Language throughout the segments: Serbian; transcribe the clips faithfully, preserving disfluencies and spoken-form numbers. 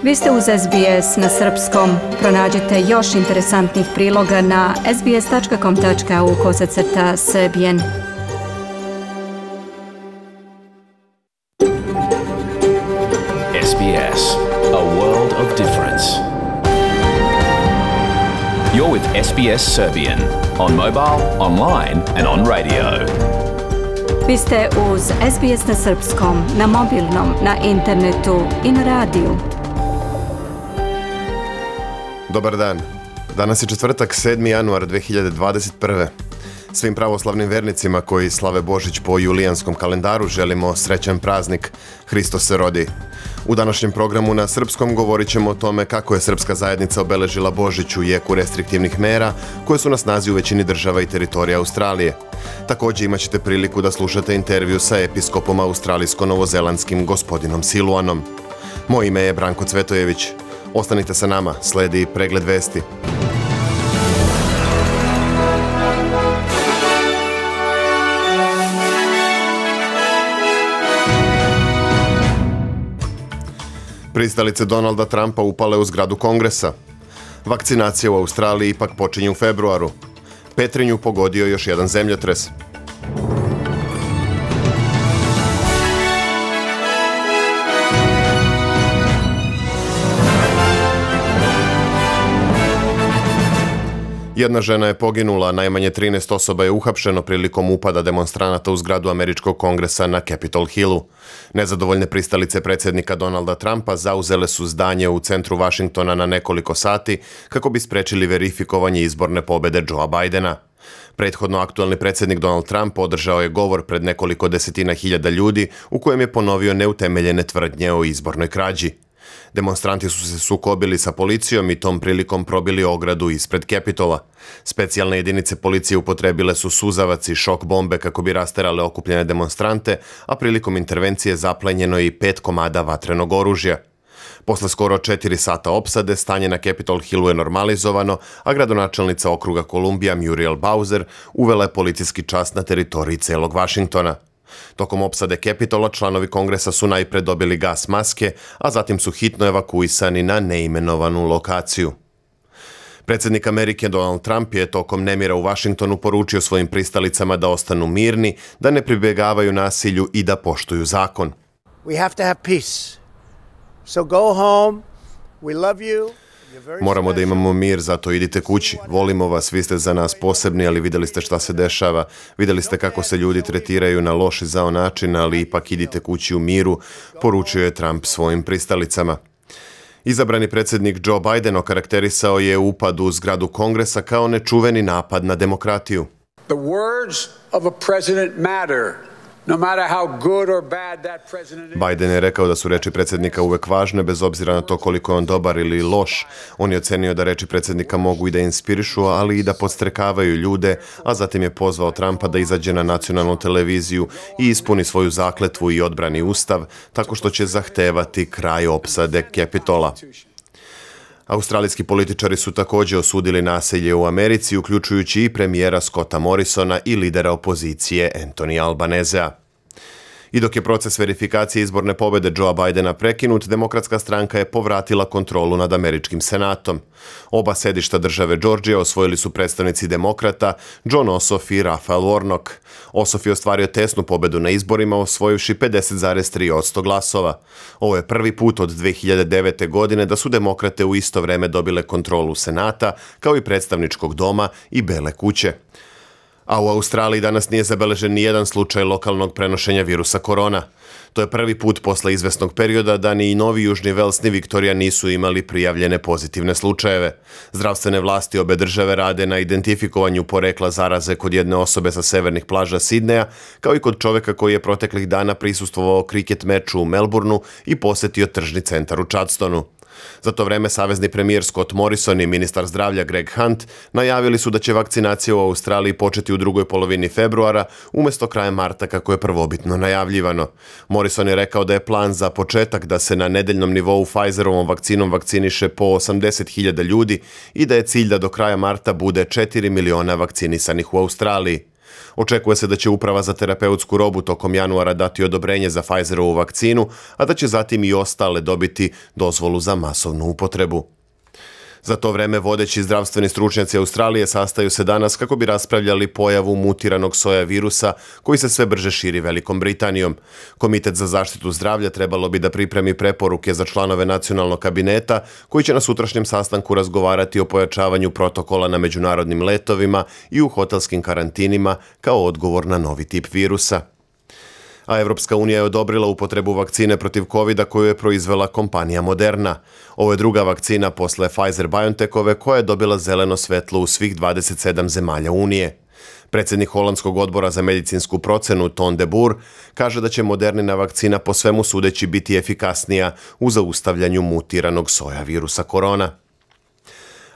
Vi ste uz S B S na srpskom. Pronađite još interesantnih priloga na sbs.com.au kosacrta srbijen. S B S, a world of difference. You're with S B S Serbian on mobile, online and on radio. Vi ste uz S B S na srpskom, na mobilnom, na internetu i na radiju. Dobar dan. Danas je četvrtak, sedmi januar dve hiljade dvadeset prve. Svim pravoslavnim vernicima koji slave Božić po julijanskom kalendaru želimo srećan praznik. Hristos se rodi. U današnjem programu na srpskom govorit ćemo o tome kako je srpska zajednica obeležila Božić u jeku restriktivnih mera koje su na snazi u većini država i teritorija Australije. Također imat ćete priliku da slušate intervju sa episkopom australijsko-novozelandskim gospodinom Siluanom. Moje ime je Branko Cvetojević. Ostanite sa nama, sledi pregled vesti. Pristalice Donalda Trumpa upale u zgradu Kongresa. Vakcinacija u Australiji ipak počinje u februaru. Petrinju pogodio još jedan zemljotres. Jedna žena je poginula, najmanje trinaest osoba je uhapšeno prilikom upada demonstranata u zgradu američkog kongresa na Capitol Hillu. Nezadovoljne pristalice predsjednika Donalda Trumpa zauzele su zdanje u centru Vašingtona na nekoliko sati kako bi sprečili verifikovanje izborne pobjede Joea Bidena. Prethodno aktualni predsjednik Donald Trump održao je govor pred nekoliko desetina hiljada ljudi u kojem je ponovio neutemeljene tvrdnje o izbornoj krađi. Demonstranti su se sukobili sa policijom i tom prilikom probili ogradu ispred Capitola. Specijalne jedinice policije upotrebile su suzavac i šok bombe kako bi rasterale okupljene demonstrante, a prilikom intervencije zaplenjeno je i pet komada vatrenog oružja. Posle skoro četiri sata opsade, stanje na Capitol Hillu je normalizovano, a gradonačelnica okruga Kolumbija Muriel Bowser uvela je policijski čas na teritoriji celog Vašingtona. Tokom opsade Capitola članovi kongresa su najpre dobili gas maske, a zatim su hitno evakuisani na neimenovanu lokaciju. Predsjednik Amerike Donald Trump je tokom nemira u Vašingtonu poručio svojim pristalicama da ostanu mirni, da ne pribjegavaju nasilju i da poštuju zakon. We have to have peace. So go home. We love you. Moramo da imamo mir, zato idite kući. Volimo vas, vi ste za nas posebni, ali vidjeli ste šta se dešava. Vidjeli ste kako se ljudi tretiraju na loš i zao način, ali ipak idite kući u miru, poručio je Trump svojim pristalicama. Izabrani predsjednik Joe Biden okarakterisao je upad u zgradu Kongresa kao nečuveni napad na demokratiju. The words of a president matter. No matter how good or bad that president is. Biden je rekao da su reči predsjednika uvek važne, bez obzira na to koliko je on dobar ili loš. On je ocenio da reči predsjednika mogu i da inspirišu, ali i da podstrekavaju ljude, a zatim je pozvao Trumpa da izađe na nacionalnu televiziju i ispuni svoju zakletvu i odbrani ustav, tako što će zahtevati kraj opsade Capitola. Australijski političari su također osudili nasilje u Americi, uključujući i premijera Scotta Morrisona i lidera opozicije Anthony Albanezea. I dok je proces verifikacije izborne pobjede Joea Bidena prekinut, Demokratska stranka je povratila kontrolu nad američkim senatom. Oba sedišta države Georgija osvojili su predstavnici demokrata John Ossoff i Raphael Warnock. Ossoff je ostvario tesnu pobjedu na izborima, osvojivši pedeset zarez tri posto glasova. Ovo je prvi put od dve hiljade devete. godine da su demokrate u isto vreme dobile kontrolu senata, kao i predstavničkog doma i Bele kuće. A u Australiji danas nije zabeležen ni jedan slučaj lokalnog prenošenja virusa korona. To je prvi put posle izvesnog perioda da ni Novi Južni Vels ni Viktorija nisu imali prijavljene pozitivne slučajeve. Zdravstvene vlasti obe države rade na identifikovanju porekla zaraze kod jedne osobe sa severnih plaža Sidneja, kao i kod čoveka koji je proteklih dana prisustvovao kriket meču u Melbourneu i posjetio tržni centar u Chadstonu. Za to vreme savezni premijer Scott Morrison i ministar zdravlja Greg Hunt najavili su da će vakcinacija u Australiji početi u drugoj polovini februara umjesto kraja marta kako je prvobitno najavljivano. Morrison je rekao da je plan za početak da se na nedeljnom nivou Pfizerovom vakcinom vakciniše po osamdeset hiljada ljudi i da je cilj da do kraja marta bude četiri miliona vakcinisanih u Australiji. Očekuje se da će Uprava za terapeutsku robu tokom januara dati odobrenje za Pfizerovu vakcinu, a da će zatim i ostale dobiti dozvolu za masovnu upotrebu. Za to vreme vodeći zdravstveni stručnjaci Australije sastaju se danas kako bi raspravljali pojavu mutiranog soja virusa koji se sve brže širi Velikom Britanijom. Komitet za zaštitu zdravlja trebalo bi da pripremi preporuke za članove nacionalnog kabineta koji će na sutrašnjem sastanku razgovarati o pojačavanju protokola na međunarodnim letovima i u hotelskim karantinima kao odgovor na novi tip virusa. A Evropska unija je odobrila upotrebu vakcine protiv kovida koju je proizvela kompanija Moderna. Ovo je druga vakcina posle Pfizer-BioNTechove koja je dobila zeleno svetlo u svih dvadeset sedam zemalja Unije. Predsjednik Holandskog odbora za medicinsku procenu Ton de Boer kaže da će Modernina vakcina po svemu sudeći biti efikasnija u zaustavljanju mutiranog soja virusa korona.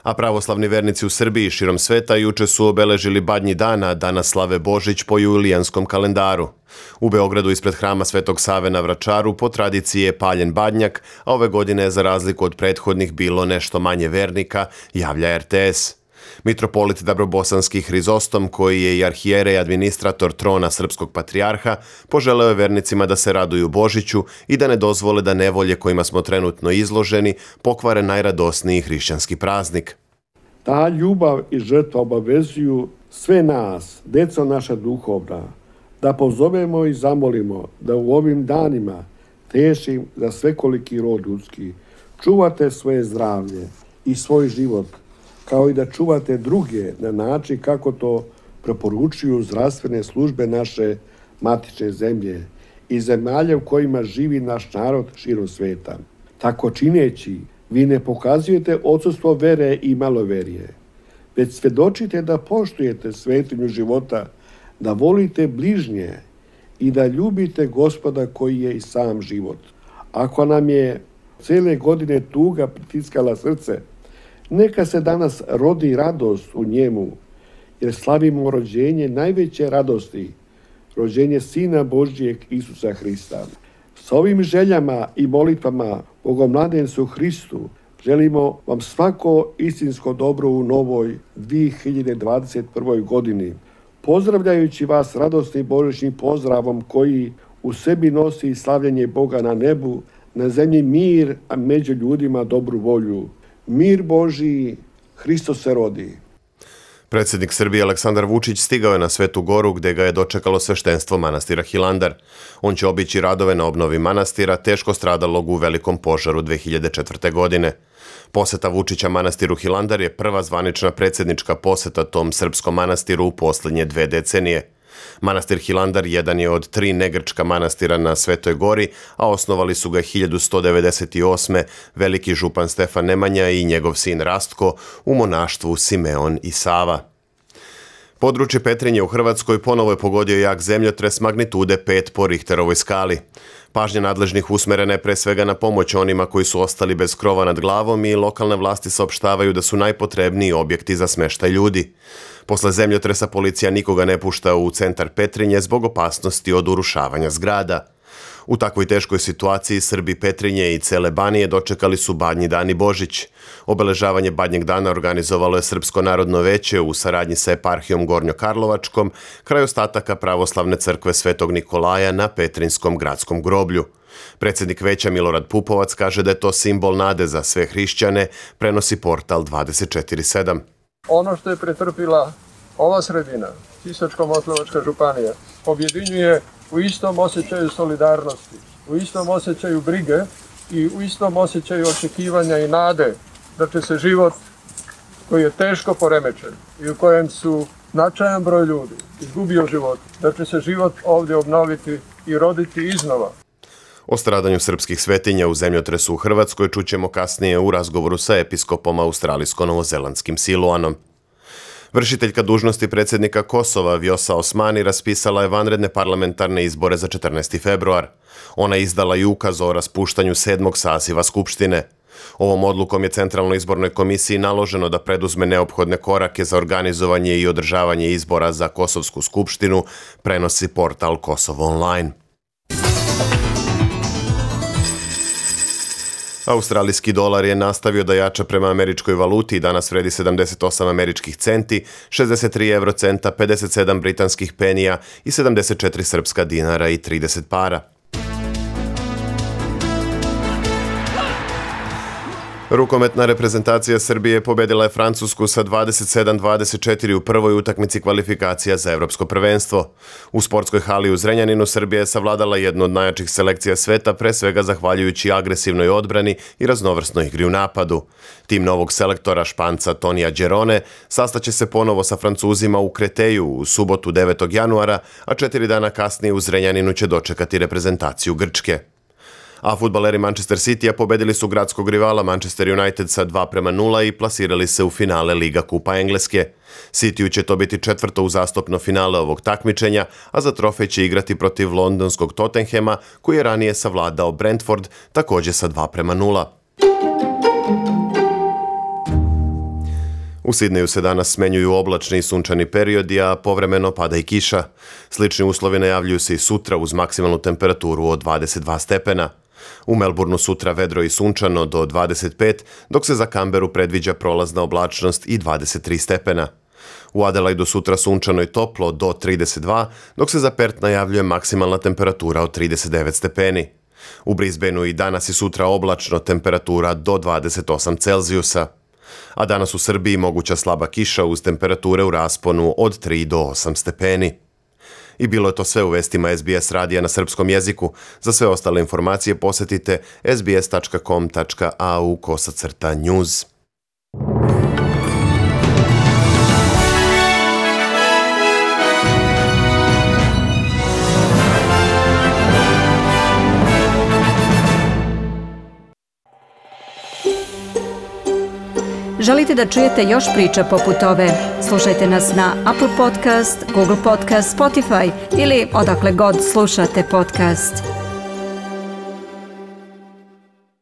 A pravoslavni vernici u Srbiji i širom sveta juče su obeležili Badnji dan, a danas slave Božić po julijanskom kalendaru. U Beogradu ispred hrama Svetog Save na Vračaru po tradiciji je paljen badnjak, a ove godine je za razliku od prethodnih bilo nešto manje vernika, javlja er te es. Mitropolit Dabrobosanski Hrizostom, koji je i arhijerej administrator trona srpskog patrijarha, poželeo je vernicima da se raduju Božiću i da ne dozvole da nevolje kojima smo trenutno izloženi pokvare najradosniji hrišćanski praznik. Ta ljubav i žrtva obavezuju sve nas, deco naša duhovna, da pozovemo i zamolimo da u ovim danima tešim za svekoliki rod ljudski čuvate svoje zdravlje i svoj život, kao i da čuvate druge na način kako to preporučuju zdravstvene službe naše matične zemlje i zemalja u kojima živi naš narod širom sveta. Tako čineći, vi ne pokazujete odsustvo vere i maloverije, već svedočite da poštujete svetinju života, da volite bližnje i da ljubite Gospoda koji je i sam život. Ako nam je cele godine tuga pritiskala srce, neka se danas rodi radost u njemu, jer slavimo rođenje najveće radosti, rođenje Sina Božjeg Isusa Hrista. S ovim željama i molitvama Bogomladencu Hristu želimo vam svako istinsko dobro u novoj dve hiljade dvadeset prvoj godini, pozdravljajući vas radosnim božićnim pozdravom koji u sebi nosi slavljenje Boga na nebu, na zemlji mir, a među ljudima dobru volju. Mir Božiji, Hristos se rodi. Predsjednik Srbije Aleksandar Vučić stigao je na Svetu Goru gde ga je dočekalo sveštenstvo manastira Hilandar. On će obići radove na obnovi manastira teško stradalog u velikom požaru dve hiljade četvrte. godine. Poseta Vučića manastiru Hilandar je prva zvanična predsjednička poseta tom srpskom manastiru u posljednje dve decenije. Manastir Hilandar jedan je od tri negrčka manastira na Svetoj Gori, a osnovali su ga hiljadu sto devedeset osme. veliki župan Stefan Nemanja i njegov sin Rastko u monaštvu Simeon i Sava. Područje Petrinje u Hrvatskoj ponovo je pogodio jak zemljotres magnitude pet po Richterovoj skali. Pažnja nadležnih usmerena je pre svega na pomoć onima koji su ostali bez krova nad glavom i lokalne vlasti saopštavaju da su najpotrebniji objekti za smeštaj ljudi. Posle zemljotresa policija nikoga ne pušta u centar Petrinje zbog opasnosti od urušavanja zgrada. U takvoj teškoj situaciji Srbi Petrinje i cele Banije dočekali su Badnji dan i Božić. Obeležavanje Badnjeg dana organizovalo je Srpsko narodno veće u saradnji sa eparhijom Gornjokarlovačkom kraj ostataka pravoslavne crkve Svetog Nikolaja na Petrinjskom gradskom groblju. Predsjednik veća Milorad Pupovac kaže da je to simbol nade za sve hrišćane, prenosi portal dvadeset četiri sedam. Ono što je pretrpila ova sredina, Sisačko-moslavačka županija, objedinjuje u istom osjećaju solidarnosti, u istom osjećaju brige i u istom osjećaju očekivanja i nade da će se život koji je teško poremećen i u kojem su značajan broj ljudi izgubio život, da će se život ovdje obnoviti i roditi iznova. O stradanju srpskih svetinja u zemljotresu u Hrvatskoj čućemo kasnije u razgovoru sa episkopom australijsko-novozelandskim Siluanom. Vršiteljka dužnosti predsjednika Kosova Vjosa Osmani raspisala je vanredne parlamentarne izbore za četrnaesti februar. Ona je izdala i ukaz o raspuštanju sedmog saziva Skupštine. Ovom odlukom je Centralnoj izbornoj komisiji naloženo da preduzme neophodne korake za organizovanje i održavanje izbora za Kosovsku skupštinu, prenosi portal Kosovo online. Australijski dolar je nastavio da jača prema američkoj valuti i danas vredi sedamdeset osam američkih centi, šezdeset tri evrocenta, pedeset sedam britanskih penija i sedamdeset četiri srpska dinara i trideset para. Rukometna reprezentacija Srbije pobedila je Francusku sa dvadeset sedam dvadeset četiri u prvoj utakmici kvalifikacija za evropsko prvenstvo. U sportskoj hali u Zrenjaninu Srbija je savladala jednu od najjačih selekcija sveta, pre svega zahvaljujući agresivnoj odbrani i raznovrsnoj igri u napadu. Tim novog selektora Španca Tonija Đerone sastaće se ponovo sa Francuzima u Kreteju u subotu devetog januara, a četiri dana kasnije u Zrenjaninu će dočekati reprezentaciju Grčke. A fudbaleri Manchester Citya pobedili su gradskog rivala Manchester United sa dva prema nula i plasirali se u finale Liga kupa Engleske. Cityu će to biti četvrto uzastopno finale ovog takmičenja, a za trofej će igrati protiv londonskog Tottenhema, koji je ranije savladao Brentford, također sa dva prema nula. U Sidneju se danas smenjuju oblačni i sunčani periodi, a povremeno pada i kiša. Slični uslovi najavljuju se i sutra uz maksimalnu temperaturu od dvadeset dva stepena. U Melbourneu sutra vedro i sunčano do dvadeset pet, dok se za Canberu predviđa prolazna oblačnost i dvadeset tri stepena. U Adelaidu sutra sunčano i toplo do trideset dva, dok se za Perth najavljuje maksimalna temperatura od trideset devet stepeni. U Brisbaneu i danas i sutra oblačno, temperatura do dvadeset osam Celzijusa. A danas u Srbiji moguća slaba kiša uz temperature u rasponu od tri do osam stepeni. I bilo je to sve u vestima S B S radija na srpskom jeziku. Za sve ostale informacije posetite s b s tačka com tačka a u kosacrta news. Želite da čujete još priča poput ove? Slušajte nas na Apple Podcast, Google Podcast, Spotify ili odakle god slušate podcast.